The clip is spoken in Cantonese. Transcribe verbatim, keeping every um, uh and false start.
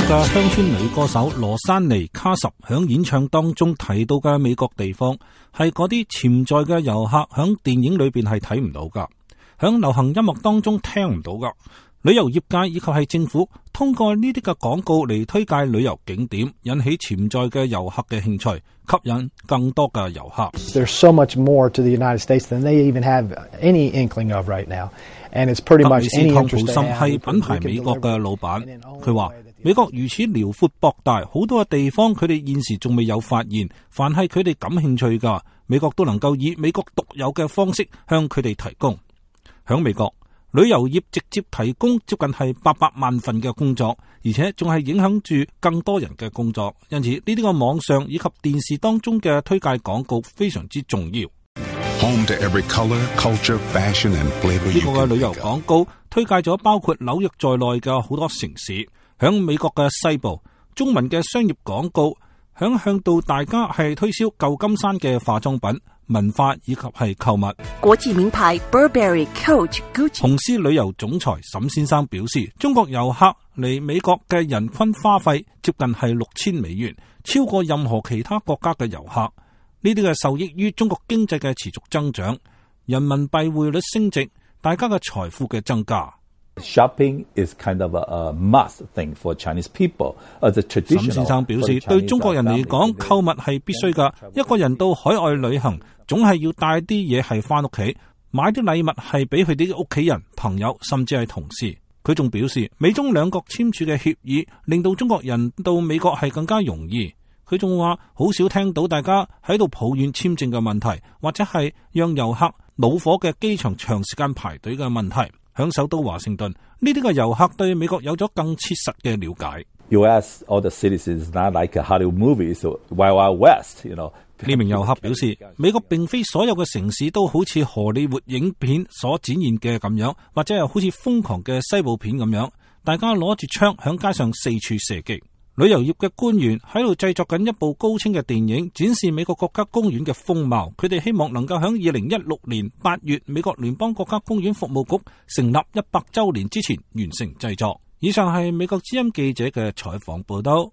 國嘅鄉村女歌手羅珊妮卡什響演唱當中提到嘅美國地方，係嗰啲潛在嘅遊客響電影裏邊係睇唔到噶，響流行音樂當中聽唔到噶。旅遊業界以及係政府通過呢啲嘅廣告嚟推介旅遊景點，引起潛在嘅遊客嘅興趣，吸引更多嘅遊客。There's so much more to the United States than they even have any inkling of right now, and it's pretty much any interest they have. 湯普森係品牌美國嘅老闆，佢話美國如此遼闊博大，好多嘅地方佢哋現時仲未有發現，凡係佢哋感興趣㗎，美國都能夠以美國獨有嘅方式向佢哋提供。響美國，旅遊業直接提供接近係八百萬份嘅工作，而且仲係影響住更多人嘅工作，因此呢啲個網上以及電視當中嘅推介廣告非常之重要。Home to every color, culture, fashion and flavor. 呢個嘅旅遊廣告推介咗包括紐約在內嘅好多城市。響美國嘅西部，中文嘅商業廣告響向到大家係推銷舊金山嘅化妝品、文化以及係購物。國際名牌 Burberry、Coach、Gucci。紅獅旅遊總裁沈先生表示，中國遊客嚟美國嘅人均花費接近係六千美元，超過任何其他國家嘅遊客。呢啲嘅受益於中國經濟嘅持續增長，人民幣匯率升值，大家嘅財富嘅增加。Shopping is kind of a, a must thing for Chinese people. As a traditional, 沈先生表示，對中國人嚟講，購物係必須噶。一個人到海外旅行，總係要帶啲嘢係翻屋企，買啲禮物係俾佢啲屋企人、朋友，甚至係同事。佢仲表示，美中兩國簽署嘅協議，令到中國人到美國係更加容易。佢仲話，好少聽到大家喺度抱怨簽證嘅問題，或者係讓遊客惱火嘅機場長時間排隊嘅問題。響首都華盛頓，呢啲嘅遊客對美國有咗更切實嘅了解。U S all the cities is not like a Hollywood movie, so Wild Wild West, you know. 呢名遊客表示，美國並非所有嘅城市都好似荷里活影片所展現嘅咁樣，或者係好似瘋狂嘅西部片咁樣，大家攞住槍響街上四處射擊。旅遊業嘅官員喺度製作緊一部高清嘅電影，展示美國國家公園嘅風貌。佢哋希望能夠喺二零一六年八月，美國聯邦國家公園服務局成立一百周年之前完成製作。以上係美國之音記者嘅採訪報道。